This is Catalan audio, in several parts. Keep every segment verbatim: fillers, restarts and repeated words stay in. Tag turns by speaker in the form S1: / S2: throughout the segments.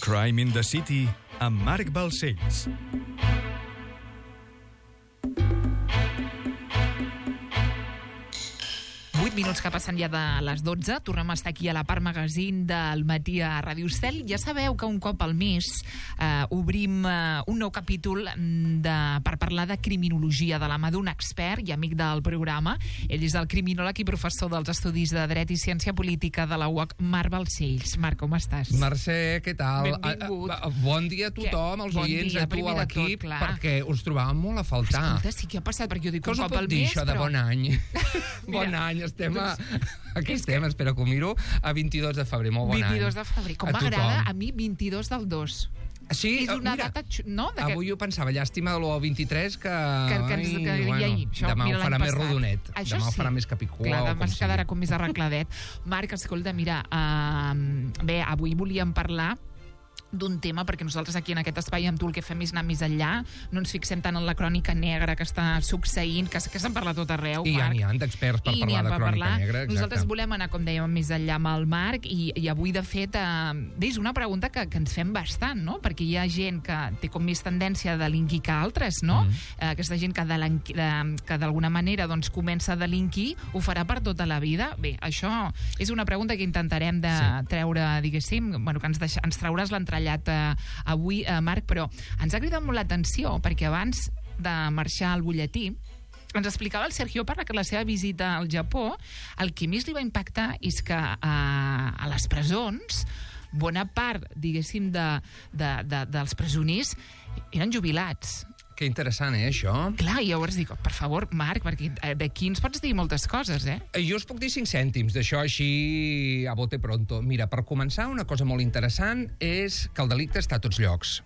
S1: Crime in the City amb Marc Balcells.
S2: vuit minuts que passen ja de les dotze. Tornem a estar aquí a la part magazine del matí a Ràdio Cel. Ja sabeu que un cop al mes eh, obrim eh, un nou capítol de, per parlar de criminologia de la mà d'un expert i amic del programa. Ell és el criminòleg i professor dels Estudis de Dret i Ciència Política de la U O C, Marc Balcells. Marc, com estàs?
S3: Mercè, què tal?
S2: Benvingut.
S3: A, a, bon dia a tothom, als
S2: bon
S3: oients,
S2: dia,
S3: a tu, a l'equip,
S2: tot,
S3: perquè us trobàvem molt a faltar.
S2: Escolta, sí que ha passat, perquè jo dic
S3: Què
S2: un
S3: us ho
S2: cop
S3: pot
S2: al
S3: dir,
S2: mes,
S3: això de
S2: però...
S3: bon any? Bon
S2: Mira,
S3: any, estem a... Aquí
S2: és
S3: estem,
S2: que-
S3: espera que ho miro, a vint-i-dos de febrer, molt bon any.
S2: vint-i-dos de febrer. Com
S3: A
S2: m'agrada
S3: tothom.
S2: a mi vint-i-dos del dos.
S3: Sí,
S2: És una
S3: mira,
S2: data... xu- No? De que...
S3: avui ho pensava, llàstima de l'u vint-i-tres, que,
S2: que, que ens, que,
S3: ai,
S2: bueno,
S3: bueno,
S2: això,
S3: demà
S2: mira,
S3: ho farà
S2: l'any
S3: més
S2: passat.
S3: rodonet,
S2: Això
S3: demà ho
S2: sí.
S3: farà més capicua
S2: Clar,
S3: o
S2: demà
S3: com
S2: es quedarà
S3: sigui.
S2: com més arregladet. Marc, escolta, mira, uh, bé, avui volíem parlar d'un tema, perquè nosaltres aquí en aquest espai amb tu el que fem és anar més enllà, no ens fixem tant en la crònica negra que està succeint, que, que se'n parla a tot arreu,
S3: I ja
S2: Marc.
S3: n'hi ha d'experts per
S2: I n'hi
S3: parlar
S2: ha
S3: de
S2: per
S3: crònica
S2: parlar.
S3: negra. Exacte.
S2: Nosaltres volem anar, com dèiem, més enllà amb el Marc i, i avui, de fet, eh, és una pregunta que, que ens fem bastant, no? Perquè hi ha gent que té com més tendència a delinquir que altres, no?
S3: Mm.
S2: Eh, aquesta gent que, delinqui, de, que d'alguna manera doncs, comença a delinquir, ho farà per tota la vida? Bé, això és una pregunta que intentarem de
S3: Sí.
S2: treure, diguéssim, bueno, que ens, deixa, ens trauràs l'entrellat eh, avui, eh, Marc, però ens ha cridat molt l'atenció perquè abans de marxar al butlletí ens explicava el Sergio Parra que la seva visita al Japó, el que més li va impactar és que eh, a les presons bona part, diguéssim, de, de, de, dels presoners eren jubilats.
S3: Que interessant, eh, això?
S2: Clar, i llavors dic, per favor, Marc, perquè d'aquí ens pots dir moltes coses, eh?
S3: Jo us puc dir cinc cèntims, d'això així a bote pronto. Mira, per començar, una cosa molt interessant és que el delicte està a tots llocs,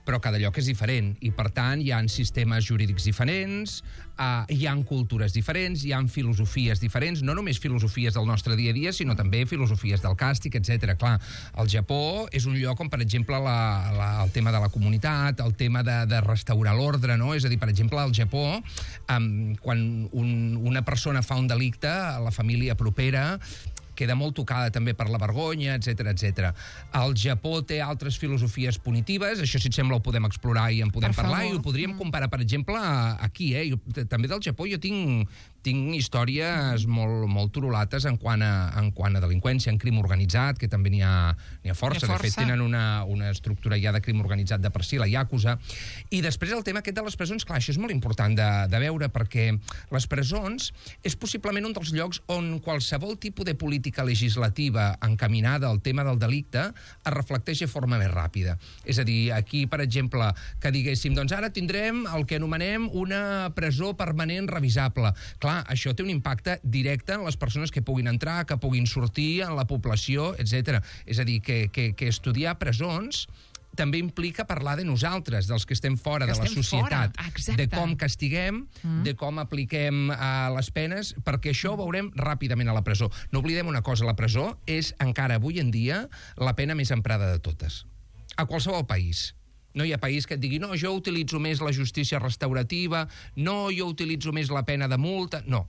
S3: però cada lloc és diferent i, per tant, hi ha sistemes jurídics diferents, uh, hi ha cultures diferents, hi ha filosofies diferents, no només filosofies del nostre dia a dia, sinó també filosofies del càstig, etcètera. Clar, el Japó és un lloc on, per exemple, la, la, el tema de la comunitat, el tema de, de restaurar l'ordre, no? És a dir, per exemple, al Japó, um, quan un, una persona fa un delicte, la família propera queda molt tocada també per la vergonya, etcètera, etcètera. El Japó té altres filosofies punitives, això, si et sembla, ho podem explorar i en podem
S2: Per
S3: parlar,
S2: favor.
S3: i ho podríem comparar, per exemple, aquí, eh? Jo, també del Japó jo tinc, tinc històries molt, molt turulates en quant, a, en quant a delinqüència, en crim organitzat, que també n'hi ha, n'hi ha força.
S2: N'hi ha
S3: De fet,
S2: força.
S3: tenen una, una estructura ja de crim organitzat de per si, la Yakuza. I després el tema aquest de les presons, clar, això és molt important de, de veure, perquè les presons és possiblement un dels llocs on qualsevol tipus de política legislativa encaminada al tema del delicte es reflecteix de forma més ràpida. És a dir, aquí, per exemple, que diguéssim, doncs ara tindrem el que anomenem una presó permanent revisable. Clar, això té un impacte directe en les persones que puguin entrar, que puguin sortir, en la població, etcètera. És a dir, que, que, que estudiar presons també implica parlar de nosaltres, dels que estem fora
S2: Que
S3: de la
S2: estem
S3: societat,
S2: fora, exacte.
S3: de com castiguem, mm. de com apliquem uh, les penes, perquè això ho veurem ràpidament a la presó. No oblidem una cosa, la presó és encara avui en dia la pena més emprada de totes. A qualsevol país. No hi ha país que et digui, no, jo utilitzo més la justícia restaurativa, no, jo utilitzo més la pena de multa... No.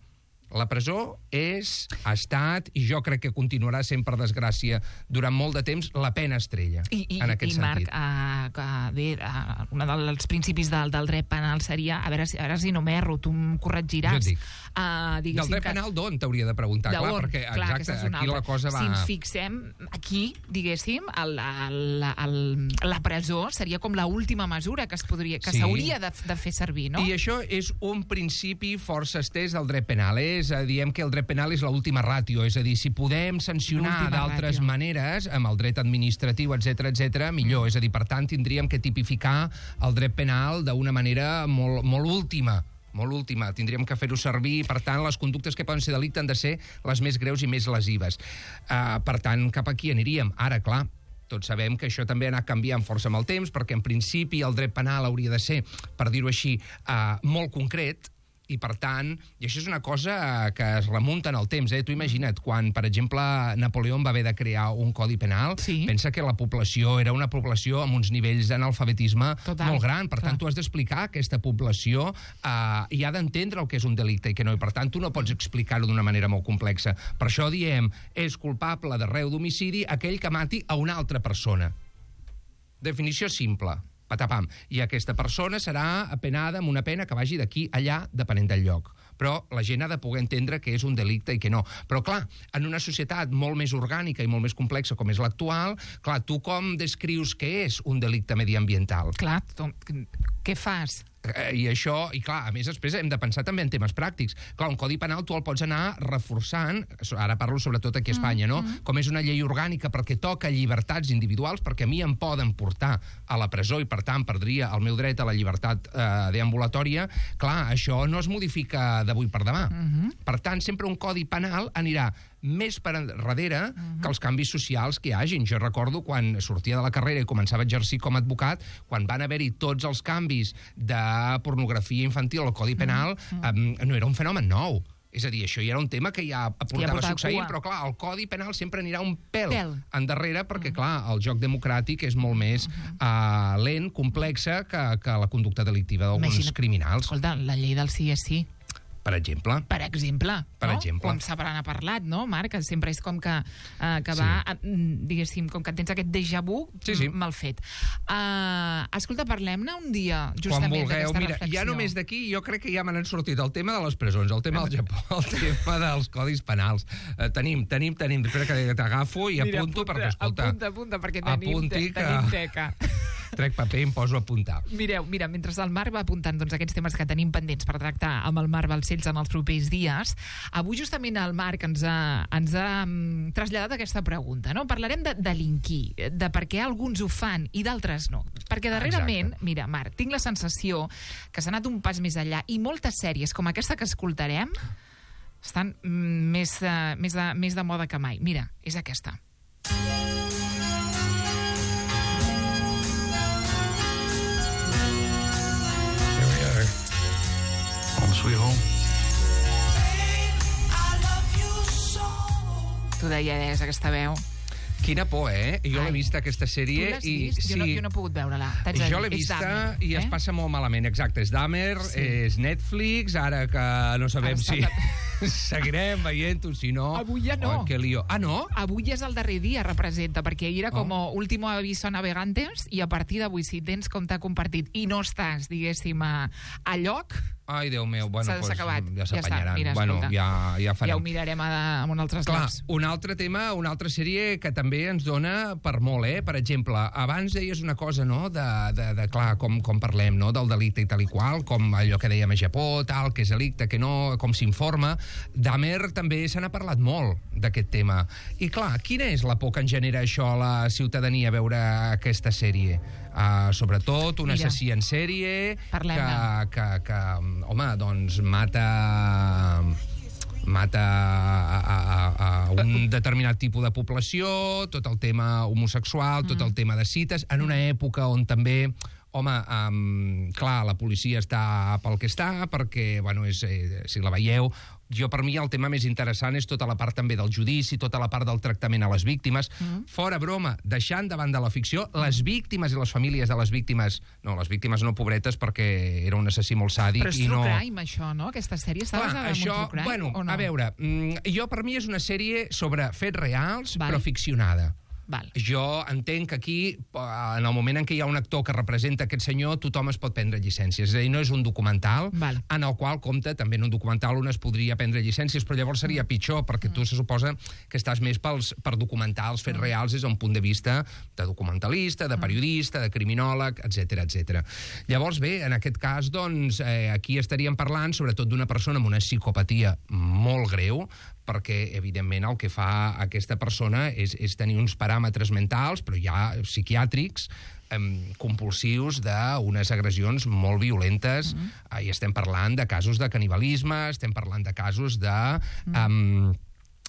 S3: La presó és, ha estat, i jo crec que continuarà sent, per desgràcia, durant molt de temps, la pena estrella,
S2: I, i,
S3: en aquest
S2: i Marc,
S3: sentit.
S2: uh, que, bé, uh, un dels principis del, del dret penal seria, a veure, si, a veure si no m'erro, tu em corregiràs.
S3: Jo et dic.
S2: Uh,
S3: Del dret penal d'on t'hauria de preguntar?
S2: De
S3: Clar,
S2: on?
S3: perquè,
S2: Clar,
S3: exacte,
S2: aquesta és una
S3: aquí
S2: altra.
S3: la cosa va...
S2: Si ens fixem aquí, diguéssim, el, el, el, la presó seria com l'última mesura que es podria, que
S3: Sí.
S2: s'hauria de, de fer servir, no?
S3: I això és un principi força estès del dret penal. És a dir, diem que el dret penal és l'última ràtio, és a dir, si podem sancionar
S2: L'última
S3: d'altres
S2: ràtio.
S3: maneres, amb el dret administratiu, etcètera, etcètera, millor. Mm. És a dir, per tant, tindríem que tipificar el dret penal d'una manera molt, molt última, molt última. Tindríem que fer-ho servir, per tant, les conductes que poden ser delicte han de ser les més greus i més lesives. Uh, per tant, cap aquí aniríem. Ara, clar, tots sabem que això també ha anat canviant força amb el temps, perquè en principi el dret penal hauria de ser, per dir-ho així, uh, molt concret, i per tant, i això és una cosa que es remunta en el temps, eh? Tu imagina't, quan, per exemple, Napoleó va haver de crear un codi penal,
S2: sí.
S3: pensa que la població era una població amb uns nivells d'analfabetisme molt gran, per
S2: Clar.
S3: tant, tu has d'explicar a aquesta població eh, i ha d'entendre el que és un delicte i que no, i per tant, tu no pots explicar-ho d'una manera molt complexa. Per això diem, és culpable de reu d'homicidi aquell que mati a una altra persona. Definició simple. Patapam. I aquesta persona serà penada amb una pena que vagi d'aquí allà, depenent del lloc. Però la gent ha de poder entendre que és un delicte i que no. Però, clar, en una societat molt més orgànica i molt més complexa com és l'actual, clar, tu com descrius què és un delicte mediambiental?
S2: Clar, tu, què fas?
S3: I això, i clar, a més després hem de pensar també en temes pràctics. Clar, un codi penal tu el pots anar reforçant, ara parlo sobretot aquí a Espanya, no? Mm-hmm. Com és una llei orgànica perquè toca llibertats individuals, perquè a mi em poden portar a la presó i per tant perdria el meu dret a la llibertat eh, deambulatòria, clar, això no es modifica d'avui per demà. Mm-hmm. Per tant, sempre un codi penal anirà més per darrere uh-huh. que els canvis socials que hi hagin. Jo recordo quan sortia de la carrera i començava a exercir com a advocat, quan van haver-hi tots els canvis de pornografia infantil al Codi Penal, uh-huh. um, no era un fenomen nou. És a dir, això ja era un tema que ja portava ja succeint, però clar, el Codi Penal sempre anirà un pèl, pèl. endarrere, perquè uh-huh. clar, el joc democràtic és molt més uh-huh. uh, lent, complexa que, que la conducta delictiva d'alguns criminals.
S2: Escolta, la llei del sí és sí.
S3: Per exemple.
S2: Per exemple.
S3: Per
S2: no?
S3: exemple.
S2: Com sempre n'ha parlat, no, Marc? Que sempre és com que, uh, que va, sí. diguéssim, com que tens aquest déjà vu
S3: sí, sí.
S2: mal fet. Uh, escolta, parlem-ne un dia, justament, d'aquesta reflexió.
S3: Ja només d'aquí, jo crec que ja me n'han sortit el tema de les presons, el tema del Japó, el tema dels codis penals. Uh, tenim, tenim, tenim. Espera que t'agafo i
S2: Mira,
S3: apunto,
S2: apunta,
S3: perquè, escolta...
S2: Apunta, apunta, perquè tenim, te,
S3: que...
S2: tenim teca.
S3: Trec paper i em poso a apuntar.
S2: Mireu, mira, mentre el Marc va apuntant doncs, aquests temes que tenim pendents per tractar amb el Marc Balcells en els propers dies, avui justament el Marc ens ha, ens ha um, traslladat aquesta pregunta, no? Parlarem de delinquir, de per què alguns ho fan i d'altres no. Perquè darrerament, Exacte. mira, Marc, tinc la sensació que s'ha anat un pas més enllà i moltes sèries com aquesta que escoltarem estan mm, més, uh, més, de, més de moda que mai. Mira, és aquesta.
S4: Sweet home.
S2: Tu deies aquesta veu.
S3: Quina por, eh? Jo l'he vista, aquesta sèrie.
S2: Tu l'has
S3: i,
S2: vist?
S3: sí,
S2: jo, no, jo no he pogut veure-la.
S3: Jo l'he vista Dahmer, i eh? es passa molt malament. Exacte, és Dahmer, sí. és Netflix, ara que no sabem si seguirem veient-ho, si no...
S2: Avui ja no.
S3: Oh, que lío. Ah, no?
S2: Avui és el darrer dia, representa, perquè ahir era com oh. último aviso a navegantes i a partir d'avui, si tens compte compartit i no estàs, diguéssim, a, a lloc...
S3: Ai, Déu meu, bueno,
S2: s'ha
S3: pues,
S2: acabat.
S3: ja s'apanyaran.
S2: Ja, mira,
S3: bueno, ja, ja farem.
S2: Ja ho mirarem a, a un altre
S3: Clar,
S2: llocs.
S3: un altre tema, una altra sèrie que també ens dona per molt, eh? Per exemple, abans deies una cosa, no?, de, de, de clar, com, com parlem, no?, del delicte i tal i qual, com allò que dèiem a Japó, tal, que és delicte, que no, com s'informa. Dahmer també se n'ha parlat molt d'aquest tema. I clar, quina és la por que en genera això a la ciutadania veure aquesta sèrie? Uh, sobretot un Mira, assassí en sèrie que, que, que, home, doncs mata mata a, a, a un determinat tipus de població, tot el tema homosexual, tot el tema de cites, en una època on també home, um, clar, la policia està pel que està, perquè, bueno, és, eh, si la veieu, jo per mi el tema més interessant és tota la part també del judici, tota la part del tractament a les víctimes. Mm. Fora broma, deixant davant de la ficció, les víctimes i les famílies de les víctimes, no, les víctimes no pobretes perquè era un assassí molt sàdic.
S2: Però és
S3: i
S2: true
S3: no...
S2: crime, això, no? Aquesta sèrie està basada en un true crime,
S3: bueno,
S2: o no?
S3: A veure, jo per mi és una sèrie sobre fets reals,
S2: Val.
S3: però ficcionada.
S2: Val.
S3: Jo entenc que aquí, en el moment en què hi ha un actor que representa aquest senyor, tothom es pot prendre llicències. És a dir, no és un documental,
S2: Val.
S3: en el qual compta, també en un documental on es podria prendre llicències, però llavors seria pitjor, perquè tu se suposa que estàs més pels, per documentar els fets reals des d'un punt de vista de documentalista, de periodista, de criminòleg, etcètera, etcètera. Llavors, bé, en aquest cas, doncs, eh, aquí estaríem parlant sobretot d'una persona amb una psicopatia molt greu, perquè, evidentment, el que fa aquesta persona és, és tenir uns paràmetres mentals, però ja psiquiàtrics, eh, compulsius d'unes agressions molt violentes, mm. eh, i estem parlant de casos de canibalisme, estem parlant de casos de... Mm. Eh,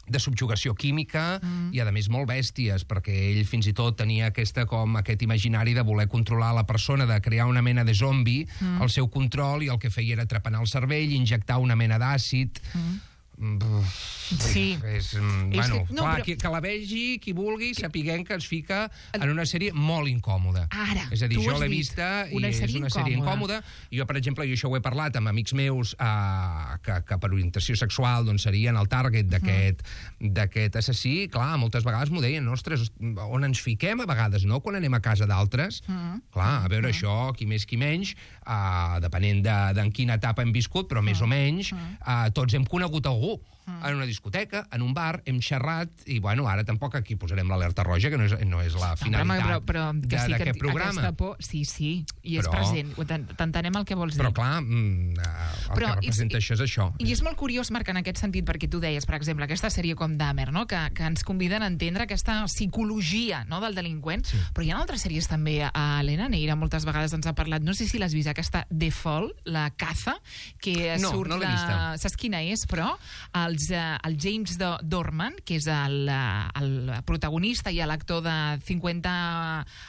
S3: de subjugació química mm. i, a més, molt bèsties, perquè ell fins i tot tenia aquesta, com, aquest imaginari de voler controlar la persona, de crear una mena de zombi mm. al seu control, i el que feia era trepanar el cervell, injectar una mena d'àcid... Mm.
S2: Sí.
S3: És, bueno,
S2: que, no,
S3: clar,
S2: però...
S3: que, que la vegi, qui vulgui, sapiguem que ens fica en una sèrie molt incòmoda.
S2: Ara,
S3: és a dir,
S2: tu
S3: jo
S2: has
S3: l'he
S2: dit,
S3: vista i
S2: una
S3: és
S2: sèrie
S3: una sèrie incòmoda. Jo, per exemple, i això ho he parlat amb amics meus eh, que, que per orientació sexual doncs, serien el target d'aquest uh-huh. d'aquest assassí. Clar, moltes vegades m'ho deien, ostres, on ens fiquem a vegades, no?, quan anem a casa d'altres. Uh-huh. Clar, a veure, uh-huh. això, qui més, qui menys, eh, depenent de, de en quina etapa hem viscut, però uh-huh. més o menys, eh, tots hem conegut algú en una discoteca, en un bar, hem xerrat, i bueno, ara tampoc aquí posarem l'alerta roja, que no és, no és la finalitat
S2: no, però, però que sí,
S3: d'aquest
S2: que
S3: programa.
S2: Por, sí, sí, i és
S3: però,
S2: present. T'entenem el que vols dir.
S3: Però clar, mm, el però que representa és, això és això.
S2: I és molt curiós, Marc, en aquest sentit, perquè tu deies, per exemple, aquesta sèrie com Dahmer, no?, que, que ens conviden a entendre aquesta psicologia, no?, del delinqüent, sí. Però hi ha altres sèries també, a Elena Neira moltes vegades ens ha parlat, no sé si l'has vist, aquesta The Fall, la caza, que
S3: no,
S2: surt
S3: no l'he vista.
S2: de... Saps quina és, però? Els, el James Dorman, que és el, el protagonista i l'actor de cinquanta,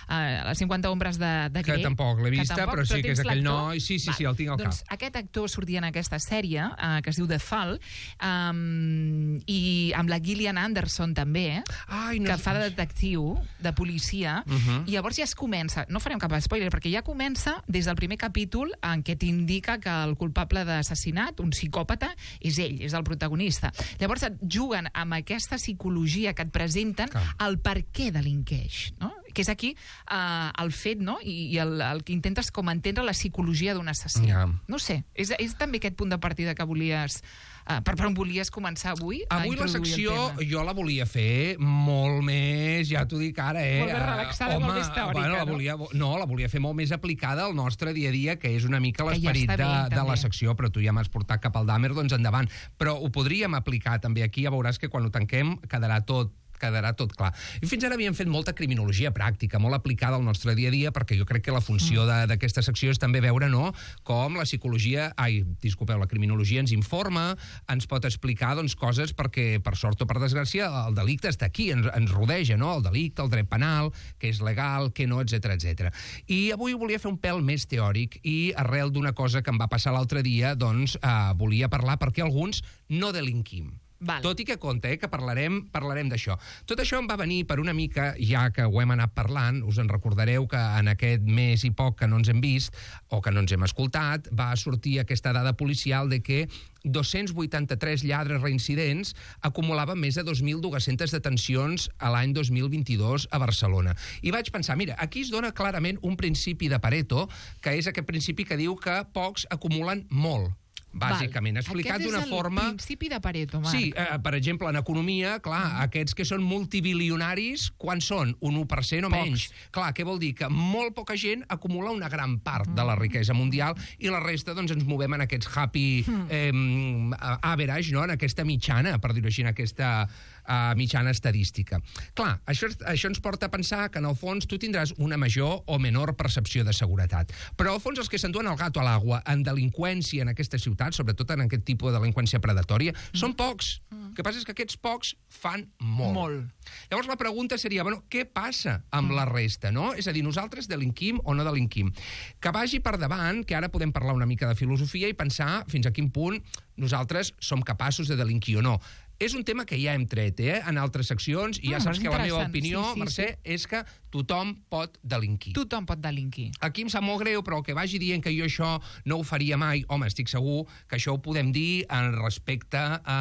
S2: uh, cinquanta ombres de, de Grey.
S3: Que tampoc l'he vista, tampoc, però sí que és aquell noi. Sí, sí,
S2: Val.
S3: sí, el tinc al
S2: doncs,
S3: cap.
S2: Aquest actor sortia en aquesta sèrie, uh, que es diu The Fall, um, i amb la Gillian Anderson també, eh? Ai, no que fa de detectiu, de policia, uh -huh. i llavors ja es comença, no farem cap spoiler, perquè ja comença des del primer capítol en què t'indica que el culpable d'assassinat, un psicòpata, és ell, és el protagonista. Llavors et juguen amb aquesta psicologia que et presenten Clar. el per què delinqueix, no? Que és aquí uh, el fet, no?, i, i el, el que intentes com entendre la psicologia d'un assassí. Yeah. No sé, és, és també aquest punt de partida que volies... Uh, per, per on volies començar avui?
S3: Avui la secció jo la volia fer molt més, ja t'ho dic ara, eh?
S2: Molt més relaxada, uh, home, molt més teòrica,
S3: bueno, la
S2: no?
S3: volia, no, la volia fer molt més aplicada al nostre dia a dia, que és una mica l'esperit
S2: ja
S3: de, de la secció, però tu ja m'has portat cap al Dahmer, doncs endavant. Però ho podríem aplicar també aquí, ja veuràs que quan ho tanquem quedarà tot quedarà tot clar. I fins ara havíem fet molta criminologia pràctica, molt aplicada al nostre dia a dia, perquè jo crec que la funció d'aquesta secció és també veure, no?, com la psicologia, ai, disculpeu, la criminologia ens informa, ens pot explicar, doncs, coses perquè, per sort o per desgràcia, el delicte està aquí, ens, ens rodeja, no?, el delicte, el dret penal, què és legal, què no, etcètera, etcètera. I avui volia fer un pèl més teòric i arrel d'una cosa que em va passar l'altre dia, doncs, eh, volia parlar perquè alguns no delinquim. Val. Tot i que compte, eh, que parlarem parlarem d'això. Tot això em va venir per una mica, ja que ho hem anat parlant, us en recordareu que en aquest mes i poc que no ens hem vist, o que no ens hem escoltat, va sortir aquesta dada policial de que dos-cents vuitanta-tres lladres reincidents acumulaven més de dos mil dues-centes detencions a l'any dos mil vint-i-dos a Barcelona. I vaig pensar, mira, aquí es dona clarament un principi de Pareto, que és aquest principi que diu que pocs acumulen molt. Bàsicament, explicat d'una forma...
S2: Aquest és el principi de Pareto, Marc.
S3: Sí, eh, per exemple, en economia, clar, mm. aquests que són multibilionaris, quan són? Un u per cent o
S2: Pocs.
S3: menys. Clar, què vol dir? Que molt poca gent acumula una gran part mm. de la riquesa mundial i la resta, doncs, ens movem en aquests happy mm. eh, average, no?, en aquesta mitjana, per dir-ho així, en aquesta uh, mitjana estadística. Clar, això, això ens porta a pensar que, en el fons, tu tindràs una major o menor percepció de seguretat. Però, al fons, els que s'enduen el gato a l'aigua en delinqüència en aquesta ciutat, sobretot en aquest tipus de delinqüència predatòria, mm. són pocs. Mm. El que passa és que aquests pocs fan molt.
S2: Molt.
S3: Llavors la pregunta seria, bueno, què passa amb mm. la resta, no? És a dir, nosaltres delinquim o no delinquim? Que vagi per davant, que ara podem parlar una mica de filosofia i pensar fins a quin punt nosaltres som capaços de delinquir o no. És un tema que ja hem tret, eh, en altres seccions, i ja
S2: mm,
S3: saps que la meva opinió,
S2: sí, sí,
S3: Mercè,
S2: sí.
S3: és que tothom pot delinquir.
S2: Tothom pot delinquir.
S3: Aquí em sap molt greu, però el que vagi dient que jo això no ho faria mai, home, estic segur que això ho podem dir en respecte a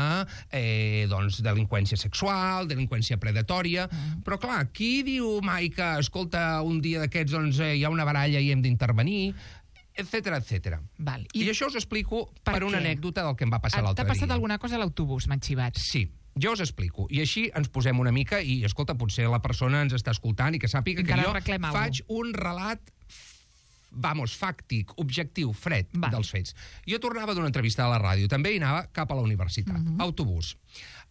S3: eh, doncs, delinqüència sexual, delinqüència predatòria, mm. però clar, qui diu mai que, escolta, un dia d'aquests doncs, eh, hi ha una baralla i hem d'intervenir, etcètera, etcètera.
S2: Val.
S3: I, I això us explico per, per una anècdota del que em va passar l'altre dia.
S2: T'ha passat alguna cosa a l'autobús, m'ha xivat?
S3: Sí. Jo us explico. I així ens posem una mica i, escolta, potser la persona ens està escoltant i que sàpiga que jo faig un relat vamos, fàctic, objectiu, fred
S2: Val.
S3: dels fets. Jo tornava d'una entrevista a la ràdio, també i anava cap a la universitat. Uh-huh. Autobús.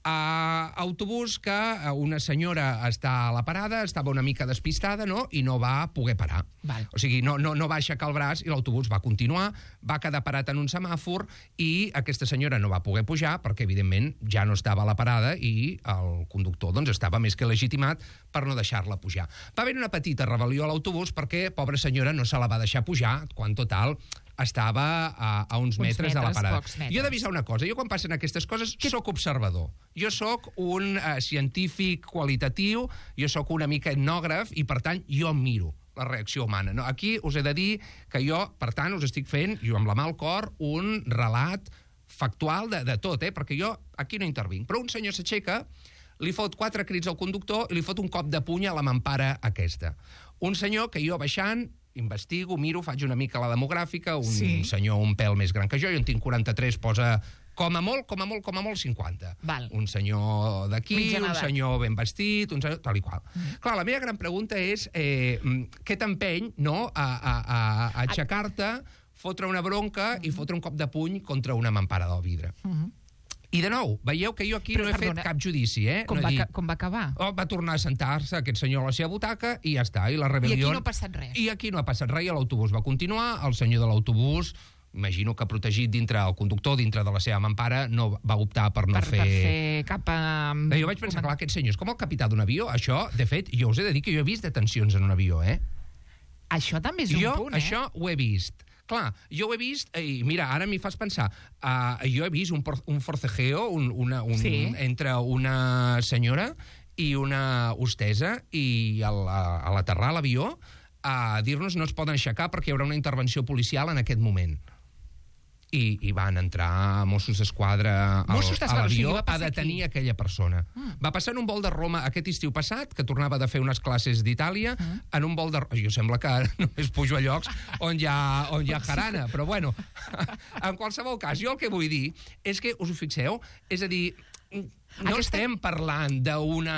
S3: Uh, autobús que una senyora està a la parada, estava una mica despistada, no?, i no va poder parar.
S2: Val.
S3: O sigui, no, no, no va aixecar el braç i l'autobús va continuar, va quedar parat en un semàfor i aquesta senyora no va poder pujar perquè, evidentment, ja no estava a la parada i el conductor doncs, estava més que legitimat per no deixar-la pujar. Va haver una petita rebel·lió a l'autobús perquè, pobra senyora, no se la va deixar pujar, quan, total, estava a, a uns, uns metres, metres de la parada. Jo he d'avisar una cosa, jo quan passen aquestes coses que... sóc observador. Jo sóc un uh, científic qualitatiu, jo sóc una mica etnògraf i, per tant, jo miro la reacció humana. No, aquí us he de dir que jo, per tant, us estic fent, jo amb la mà al cor, un relat factual de, de tot, eh? Perquè jo aquí no intervinc. Però un senyor s'aixeca, li fot quatre crits al conductor i li fot un cop de puny a la mampara aquesta. Un senyor que jo baixant, investigo, miro, faig una mica la demogràfica, un sí. senyor un pèl més gran que jo, jo en tinc quaranta-tres, posa com a molt, com a molt, com a molt, cinquanta.
S2: Val.
S3: Un senyor d'aquí, un senyor ben vestit, un senyor tal i qual. Mm. Clar, la meva gran pregunta és eh, què t'empeny, no?, a, a, a, a aixecar-te, fotre una bronca mm. i fotre un cop de puny contra una mampara del vidre. Mm. I de nou, veieu que jo aquí Però, no he perdona, fet cap judici, eh?
S2: Com,
S3: no
S2: va,
S3: dit,
S2: com va acabar?
S3: Oh, va tornar a sentar-se aquest senyor a la seva butaca i ja està. I la rebel·lió...
S2: I aquí no ha passat res.
S3: I aquí no ha passat res, i l'autobús va continuar, el senyor de l'autobús, imagino que protegit dintre el conductor, dintre de la seva mampara, no va optar per no
S2: per,
S3: fer...
S2: Per fer cap a...
S3: Eh, jo vaig pensar, clar, aquest senyor és com el capità d'un avió. Això, de fet, jo us he de dir que jo he vist detencions en un avió, eh?
S2: Això també és un
S3: jo,
S2: punt, eh?
S3: això ho he vist. Clar, jo ho he vist, i mira, ara m'hi fas pensar, uh, jo he vist un, por, un forcejeo un, una, un, sí. entre una senyora i una hostesa, i al, a, a l'aterrar a l'avió a dir-nos no es poden aixecar perquè hi haurà una intervenció policial en aquest moment. I, i van entrar Mossos d'Esquadra al, a l'avió o sigui, a detenir aquí. aquella persona. Mm. Va passar en un vol de Roma aquest estiu passat, que tornava de fer unes classes d'Itàlia, mm. en un vol de... Jo sembla que només pujo a llocs on hi ha, on hi ha jarana, però bueno, en qualsevol cas, jo el que vull dir és que, us ho fixeu, és a dir... No Aquesta... estem parlant d'una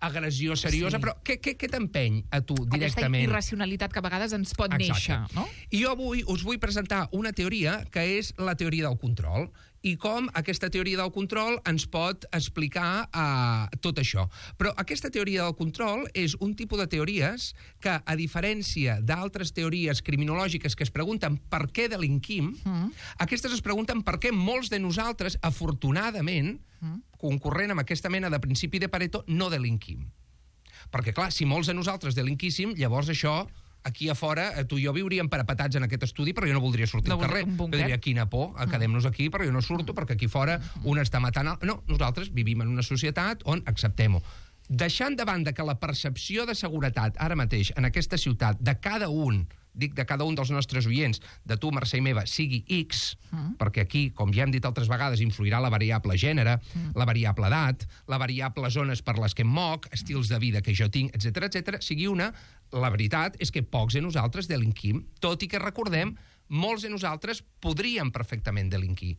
S3: agressió seriosa, sí. però què, què, què t'empeny a tu directament?
S2: Aquesta irracionalitat que a vegades ens pot Exacte. néixer, no?
S3: I jo avui us vull presentar una teoria que és la teoria del control i com aquesta teoria del control ens pot explicar uh, tot això. Però aquesta teoria del control és un tipus de teories que, a diferència d'altres teories criminològiques que es pregunten per què delinquim, mm. aquestes es pregunten per què molts de nosaltres, afortunadament, mm. concurrent amb aquesta mena de principi de Pareto, no delinquim. Perquè, clar, si molts de nosaltres delinquíssim, llavors això... Aquí a fora, tu i jo viuríem parapetats en aquest estudi, però jo no voldria sortir
S2: no
S3: al carrer. Jo diria, quina por, quedem-nos aquí, però jo no surto, perquè aquí fora un està matant... El... No, nosaltres vivim en una societat on acceptem-ho. Deixant de banda que la percepció de seguretat ara mateix en aquesta ciutat de cada un, dic de cada un dels nostres oients, de tu, Mercè i meva, sigui X, mm. perquè aquí, com ja hem dit altres vegades, influirà la variable gènere, mm. la variable edat, la variable zones per les que em moc, estils de vida que jo tinc, etcètera, etcètera, sigui una, la veritat és que pocs de nosaltres delinquim, tot i que recordem, molts de nosaltres podríem perfectament delinquir.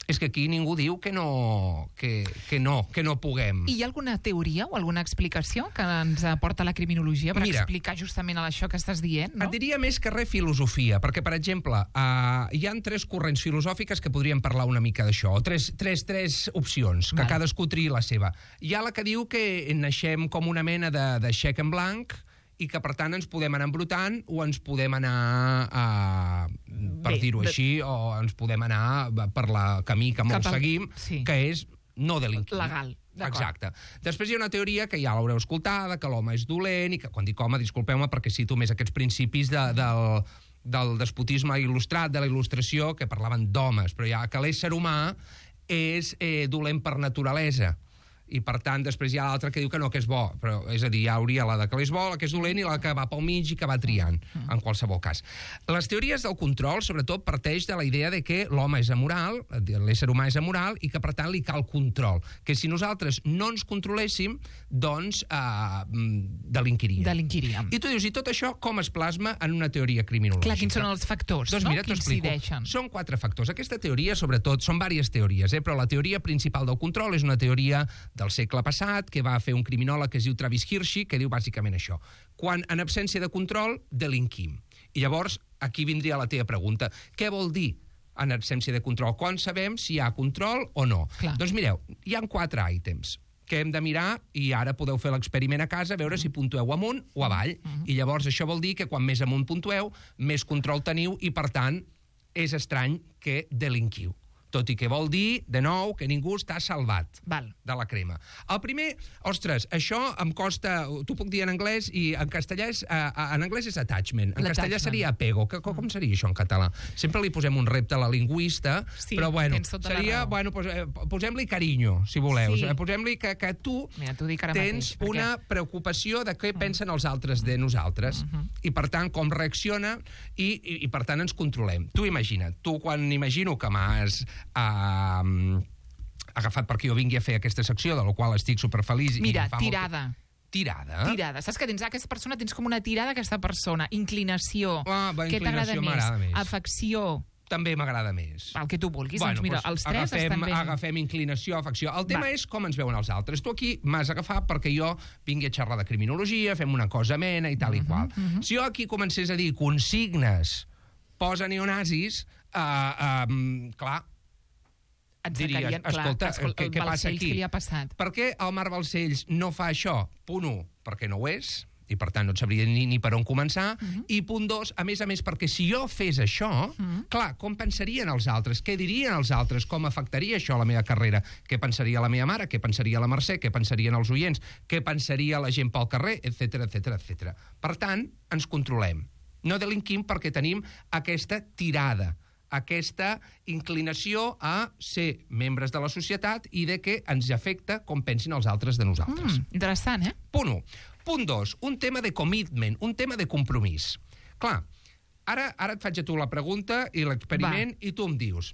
S3: És que aquí ningú diu que no, que, que no, que no puguem.
S2: I hi ha alguna teoria o alguna explicació que ens aporta la criminologia per
S3: Mira,
S2: explicar justament això que estàs dient, no?
S3: Et diria més que res filosofia, perquè, per exemple, uh, hi han tres corrents filosòfiques que podríem parlar una mica d'això, o tres, tres, tres opcions, que Val. cadascú triï la seva. Hi ha la que diu que naixem com una mena de, de xec en blanc, i que, per tant, ens podem anar embrutant o ens podem anar, a, per dir-ho de... així, o ens podem anar per la camí que molts a... seguim, sí. que és no delinquir.
S2: Legal.
S3: Exacte. Després hi ha una teoria que ja l'haureu escoltada, que l'home és dolent, i que, quan dic home, disculpeu-me perquè cito més aquests principis de, del, del despotisme il·lustrat, de la il·lustració, que parlaven d'homes, però ja que l'ésser humà és eh, dolent per naturalesa. I, per tant, després hi ha l'altra que diu que no, que és bo. Però, és a dir, hi hauria la de que és bo, la que és dolent i la que va pel mig i que va triant, en qualsevol cas. Les teories del control, sobretot, parteix de la idea de que l'home és amoral, l'ésser humà és amoral, i que, per tant, li cal control. Que si nosaltres no ens controléssim, doncs eh, delinquiríem.
S2: Delinquiríem.
S3: I tu dius, i tot això com es plasma en una teoria criminològica?
S2: Clar, quins són els factors,
S3: doncs,
S2: no?
S3: Mira,
S2: que incideixen?
S3: Són quatre factors. Aquesta teoria, sobretot, són diverses teories, eh? Però la teoria principal del control és una teoria del segle passat, que va fer un criminòleg que es diu Travis Hirschi, que diu bàsicament això. Quan, en absència de control, delinquim. I llavors, aquí vindria la teva pregunta. Què vol dir en absència de control? Quan sabem si hi ha control o no? Clar. Doncs mireu, hi ha quatre ítems que hem de mirar, i ara podeu fer l'experiment a casa, veure si puntueu amunt o avall. Uh-huh. I llavors això vol dir que quan més amunt puntueu, més control teniu, i per tant és estrany que delinquiu. tot i que vol dir, de nou, que ningú està salvat
S2: Val.
S3: de la crema. El primer, ostres, això em costa... T'ho puc dir en anglès i en castellà és... Uh, en anglès és attachment, en castellà seria apego. Que, com seria això en català? Sempre li posem un repte a la lingüista,
S2: sí,
S3: però bueno,
S2: tota
S3: seria... Bueno, pos, eh, posem-li carinyo, si voleu.
S2: Sí.
S3: Posem-li que, que tu
S2: Mira, dic ara
S3: tens
S2: mateix, perquè...
S3: una preocupació de què pensen els altres de nosaltres. Uh -huh. I, per tant, com reacciona i, i, i, per tant, ens controlem. Tu imagina't, tu quan imagino que m'has... Uh, agafat perquè jo vingui a fer aquesta secció, de la qual estic superfeliç.
S2: Mira,
S3: i fa
S2: tirada.
S3: Molt... Tirada?
S2: Tirada. Saps que tens aquesta persona, tens com una tirada a aquesta persona. Inclinació.
S3: Ah, va,
S2: Què t'agrada
S3: més?
S2: més? Afecció.
S3: També m'agrada més.
S2: El que tu vulguis.
S3: Bueno,
S2: doncs mira,
S3: doncs
S2: els tres
S3: agafem,
S2: estan ben...
S3: agafem inclinació, afecció. El tema
S2: Va.
S3: és com ens veuen els altres. Tu aquí m'has agafat perquè jo vingui a xerrar de criminologia, fem una cosa amena i tal i qual. Uh -huh. Si jo aquí comencés a dir consignes, posa neonazis, uh, uh, clar,
S2: Et
S3: diries,
S2: sacarien, clar,
S3: escolta,
S2: escolta,
S3: què, què passa aquí?
S2: Què li ha passat?
S3: Per què el Marc Balcells no fa això? Punt un, perquè no ho és, i per tant no et sabria ni, ni per on començar, uh -huh. i punt dos, a més a més, perquè si jo fes això, uh -huh. clar, com pensarien els altres? Què dirien els altres? Com afectaria això a la meva carrera? Què pensaria la meva mare? Què pensaria la Mercè? Què pensarien els oients? Què pensaria la gent pel carrer? Etcètera, etcètera, etcètera. Per tant, ens controlem. No delinquim perquè tenim aquesta tirada, aquesta inclinació a ser membres de la societat i de que ens afecta com pensin els altres de nosaltres.
S2: Mm, interessant, eh?
S3: Punt un. Punt dos, un tema de commitment, un tema de compromís. Clar, ara, ara et faig a tu la pregunta i l'experiment i tu em dius...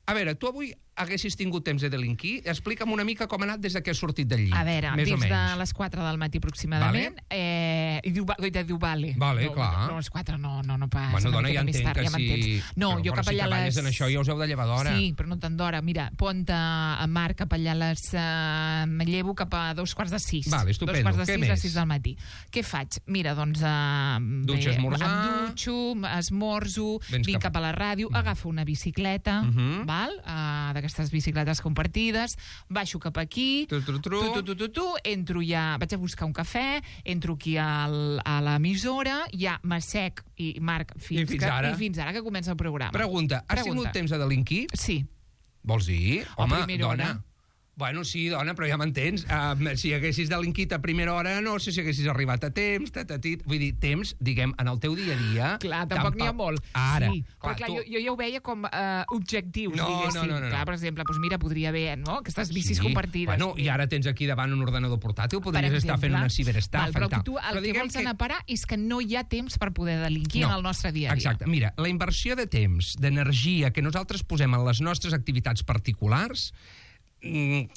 S3: A veure, tu avui haguessis tingut temps de delinquir? Explica'm una mica com ha anat des que has sortit del llit.
S2: A veure,
S3: més
S2: des
S3: o menys.
S2: de les quatre del matí aproximadament.
S3: Vale.
S2: Eh, I diu, de diu vale.
S3: Vale,
S2: no,
S3: clar.
S2: No, les quatre no, no, no passa.
S3: Bueno,
S2: una
S3: dona,
S2: miqueta
S3: ja
S2: més
S3: entenc
S2: tard,
S3: que
S2: ja m'entens.
S3: si...
S2: No,
S3: però,
S2: jo
S3: però
S2: cap
S3: si
S2: allà
S3: treballes
S2: les...
S3: en això ja us heu de llevar d'hora.
S2: Sí, però no tant d'hora. Mira, pont a, a Marc cap allà a les... Uh, me llevo cap a dos quarts de sis.
S3: Vale, estupendo.
S2: Dos quarts de
S3: Què
S2: sis
S3: més?
S2: a sis del matí. Què faig? Mira, doncs... Uh,
S3: Dutxa, esmorzar...
S2: Em dutxo, esmorzo,
S3: Vens
S2: vinc
S3: cap-
S2: cap a la ràdio,
S3: Mm.
S2: agafo una bicicleta,
S3: Uh -huh.
S2: val? Uh, d'aquestes bicicletes compartides, baixo cap aquí,
S3: Tru, tru, tru.
S2: tu, tu, tu, tu, tu, entro ja, vaig a buscar un cafè, entro aquí al, a l'emissora, ja m'assec i Marc, fins,
S3: I fins
S2: que,
S3: ara?
S2: i fins ara que comença el programa.
S3: Pregunta, has
S2: Pregunta.
S3: tingut temps de delinquir?
S2: Sí.
S3: Vols dir?
S2: A
S3: Home,
S2: primera
S3: dona.
S2: hora.
S3: Bueno, sí, dona, però ja m'entens. Uh, si haguessis delinquit a primera hora, no sé si haguessis arribat a temps, tatatit... Vull dir, temps, diguem, en el teu dia a dia...
S2: Clar, tampoc n'hi ha molt.
S3: Ara.
S2: Sí,
S3: clar,
S2: però clar,
S3: tu...
S2: jo, jo ja ho veia com uh, objectius,
S3: No,
S2: diguéssim.
S3: no, no, no, no.
S2: Clar, per exemple, doncs mira, podria haver, no?, aquestes bicis
S3: Sí.
S2: compartides.
S3: Bueno, i ara tens aquí davant un ordenador portàtil, podries
S2: Per
S3: estar fent
S2: exemple.
S3: una ciberestafa
S2: Val, però
S3: i tal.
S2: tu el
S3: Però
S2: que
S3: diguem
S2: vols anar a parar és que no hi ha temps per poder delinquir
S3: No,
S2: en el nostre dia a dia.
S3: Exacte. Mira, la inversió de temps, d'energia que nosaltres posem en les nostres activitats particulars... Mm,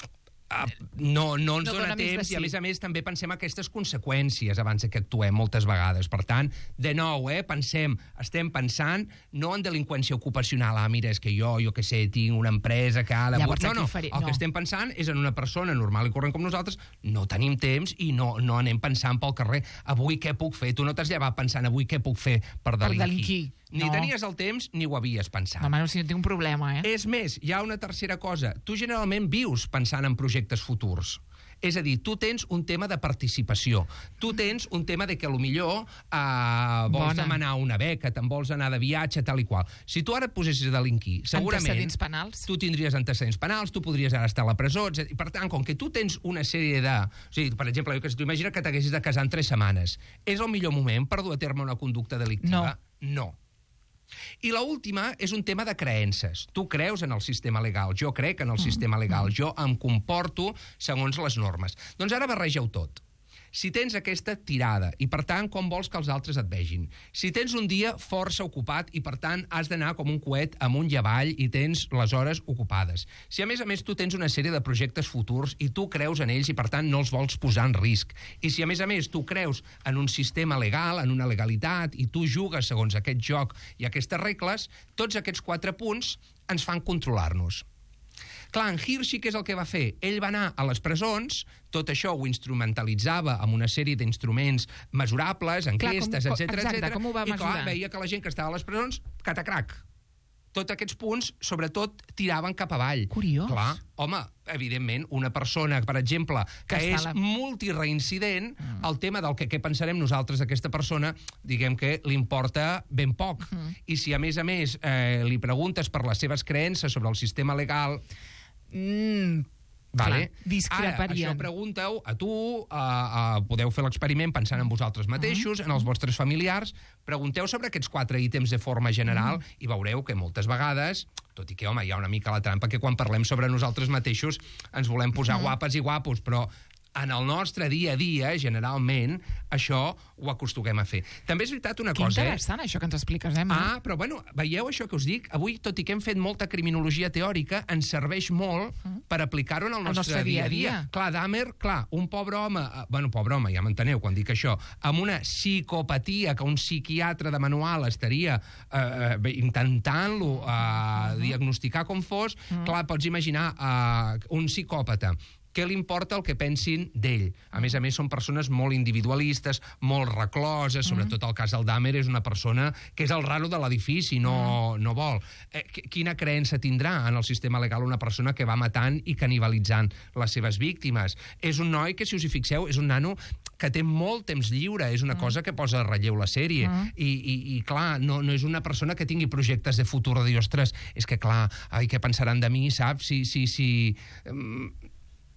S3: Uh, no, no ens
S2: No
S3: dona
S2: dona més de
S3: temps
S2: sí.
S3: i, a més a més, també pensem aquestes conseqüències abans que actuem moltes vegades. Per tant, de nou, eh, pensem, estem pensant no en delinqüència ocupacional. Ah, mira, és que jo, jo què sé, tinc una empresa que ha de...
S2: Llavors,
S3: no,
S2: aquí
S3: no,
S2: faré-
S3: el
S2: no.
S3: que estem pensant és en una persona normal i corrent com nosaltres, no tenim temps i no, no anem pensant pel carrer. Avui què puc fer? Tu no t'has llevat pensant avui què puc fer per delinquir.
S2: delinquir.
S3: Ni
S2: No.
S3: tenies el temps ni ho havies pensat.
S2: No, home, si no tinc un problema, eh?
S3: És més, hi ha una tercera cosa. Tu generalment vius pensant en projectes futurs. És a dir, tu tens un tema de participació. Tu tens un tema de que potser uh, vols
S2: Bona.
S3: demanar una beca, te'n vols anar de viatge, tal i qual. Si tu ara et posessis a delinquir, segurament...
S2: Antecedents penals.
S3: Tu tindries antecedents penals, tu podries ara estar a la presó, etcètera. I per tant, com que tu tens una sèrie de... O sigui, per exemple, jo que tu imagina que t'haguessis de casar en tres setmanes. És el millor moment per dur a terme una conducta delictiva?
S2: No.
S3: No. I l'última és un tema de creences. Tu creus en el sistema legal, jo crec en el sistema legal, jo em comporto segons les normes. Doncs ara barrega-ho tot. Si tens aquesta tirada i, per tant, com vols que els altres et vegin. Si tens un dia força ocupat i, per tant, has d'anar com un coet amunt i avall i tens les hores ocupades. Si, a més a més, tu tens una sèrie de projectes futurs i tu creus en ells i, per tant, no els vols posar en risc. I si, a més a més, tu creus en un sistema legal, en una legalitat, i tu jugues segons aquest joc i aquestes regles, tots aquests quatre punts ens fan controlar-nos. Clar, en Hirschi, què és el que va fer? Ell va anar a les presons, tot això ho instrumentalitzava amb una sèrie d'instruments mesurables, enquestes,
S2: Clar, com-
S3: etcètera,
S2: exacte,
S3: etcètera,
S2: com ho va
S3: i clar,
S2: mesurar?
S3: veia que la gent que estava a les presons, catacrac, tots aquests punts, sobretot, tiraven cap avall.
S2: Curiós.
S3: Clar, home, evidentment, una persona, per exemple, que, que és la... multireincident, mm. el tema del que què pensarem nosaltres d'aquesta persona, diguem que li importa ben poc. Mm. I si, a més a més, eh, li preguntes per les seves creences sobre el sistema legal...
S2: Mm.
S3: Vale.
S2: Clar, discreparien.
S3: Ara, això pregunteu a tu, a, a, podeu fer l'experiment pensant en vosaltres mateixos, en els vostres familiars, pregunteu sobre aquests quatre ítems de forma general mm. i veureu que moltes vegades, tot i que, home, hi ha una mica la trampa que quan parlem sobre nosaltres mateixos ens volem posar mm. guapes i guapos, però en el nostre dia a dia, generalment, això ho acostumem a fer. També és veritat una
S2: que
S3: cosa...
S2: Que interessant, eh? això que ens expliques, eh, Marc?
S3: Ah, però bueno, veieu això que us dic? Avui, tot i que hem fet molta criminologia teòrica, ens serveix molt mm. per aplicar-ho en el nostre,
S2: nostre dia a dia.
S3: dia. Clar, Dahmer, clar, un pobre home... Eh, bueno, pobre home, ja m'enteneu quan dic això, amb una psicopatia que un psiquiatre de manual estaria eh, intentant-lo eh, mm. diagnosticar com fos, mm. clar, pots imaginar eh, un psicòpata què li importa el que pensin d'ell. A més a més, són persones molt individualistes, molt recloses, sobretot el cas del Dahmer és una persona que és el raro de l'edifici, no, no vol. Eh, quina creença tindrà en el sistema legal una persona que va matant i canibalitzant les seves víctimes? És un noi que, si us hi fixeu, és un nano que té molt temps lliure, és una cosa que posa a relleu la sèrie. I, i, i clar, no, no és una persona que tingui projectes de futur de dir, ostres, és que clar, ai, què pensaran de mi, saps? Si... si, si um,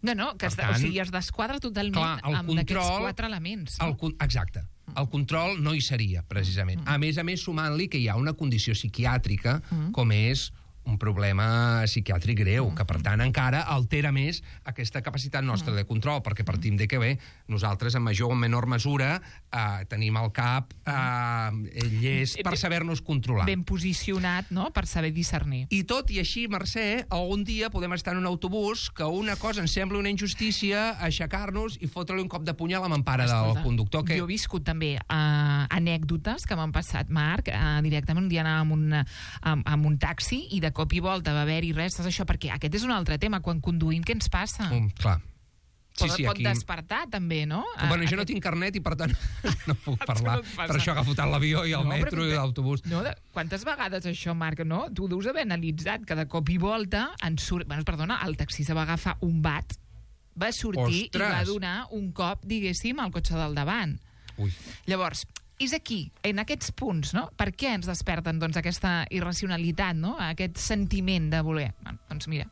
S2: No, no, que es, tant, o sigui, es desquadra totalment clar, amb aquests quatre elements. No?
S3: El, exacte. El control no hi seria, precisament. Mm. A més a més, sumant-li que hi ha una condició psiquiàtrica, mm. com és un problema psiquiàtric greu, mm. que per tant encara altera més aquesta capacitat nostra mm. de control, perquè partim de que bé, nosaltres en major o menor mesura eh, tenim el cap eh, llest per saber-nos controlar.
S2: Ben posicionat, no?, per saber discernir.
S3: I tot i així, Mercè, algun dia podem estar en un autobús que una cosa ens sembla una injustícia, aixecar-nos i fotre-li un cop de punyal a l'empara del conductor. Que...
S2: Jo he viscut també uh, anècdotes que m'han passat, Marc, uh, directament un dia anava amb un, amb, amb un taxi i de cop i volta va haver-hi res, això, perquè aquest és un altre tema, quan conduïm, què ens passa?
S3: Um, clar. Sí,
S2: pot,
S3: sí,
S2: pot
S3: aquí...
S2: despertar, també, no?
S3: Bueno, jo no tinc carnet i, per tant, no puc parlar. No per això agafo tant l'avió i el no, metro i l'autobús.
S2: No, de... Quantes vegades això, Marc, no? Tu deus haver analitzat que de cop i volta en surt... Bueno, perdona, el taxista va agafar un bat, va sortir Ostres. i va donar un cop, diguéssim, al cotxe del davant.
S3: Ui.
S2: Llavors, és aquí, en aquests punts, no? Per què ens desperten, doncs, aquesta irracionalitat, no? Aquest sentiment de voler. Bueno, doncs mira...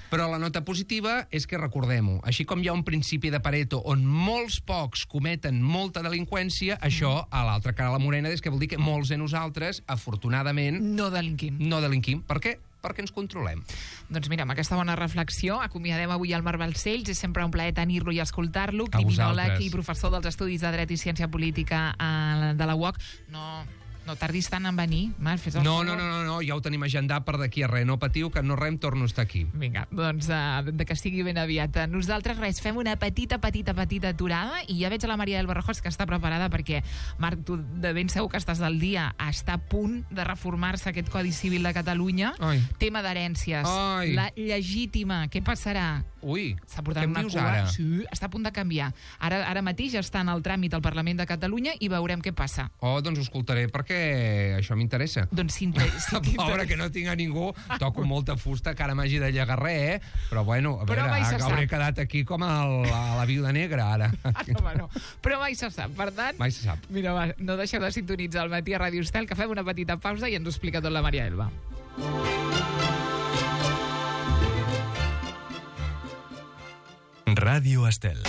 S3: Però la nota positiva és que recordem-ho. Així com hi ha un principi de Pareto on molts pocs cometen molta delinqüència, mm. això, a l'altra cara de la morena, és que vol dir que molts de nosaltres, afortunadament...
S2: No delinquim.
S3: No delinquim. Per què? Perquè ens controlem.
S2: Doncs mira, amb aquesta bona reflexió acomiadem avui el Marc Balcells. És sempre un plaer tenir-lo i escoltar-lo. Criminòleg i professor dels Estudis de Dret i Ciència Política de la U O C. No... No tardis tant en venir, Marc, fes el
S3: no, no, no, no, no, ja ho tenim agendat per d'aquí a res. No patiu, que no rem, torno a estar aquí.
S2: Vinga, doncs uh, de que estigui ben aviat. Nosaltres, res, fem una petita, petita, petita aturada i ja veig a la Maria del Barrajós que està preparada perquè, Marc, tu de ben segur que estàs del dia, està a punt de reformar-se aquest Codi Civil de Catalunya.
S3: Ai.
S2: Tema d'herències. La legítima, què passarà?
S3: Ui,
S2: s'ha portat una cua. Ara? Sí, està a punt de canviar. Ara, ara mateix ja està en el tràmit al Parlament de Catalunya i veurem què passa.
S3: Oh, doncs ho escoltaré perquè això m'interessa.
S2: Doncs si si
S3: Pobre, que no tinc a ningú, toco molta fusta, que ara m'hagi de llegar res, eh? Però bueno, a veure, hauré quedat aquí com el, a la viuda negra, ara.
S2: No, bueno, però mai se sap, per tant...
S3: Mai se sap.
S2: Mira, va, no deixeu de sintonitzar el Matí a Ràdio Estel, que fem una petita pausa i ens ho explica tot la Maria Elba.
S1: Ràdio Estel.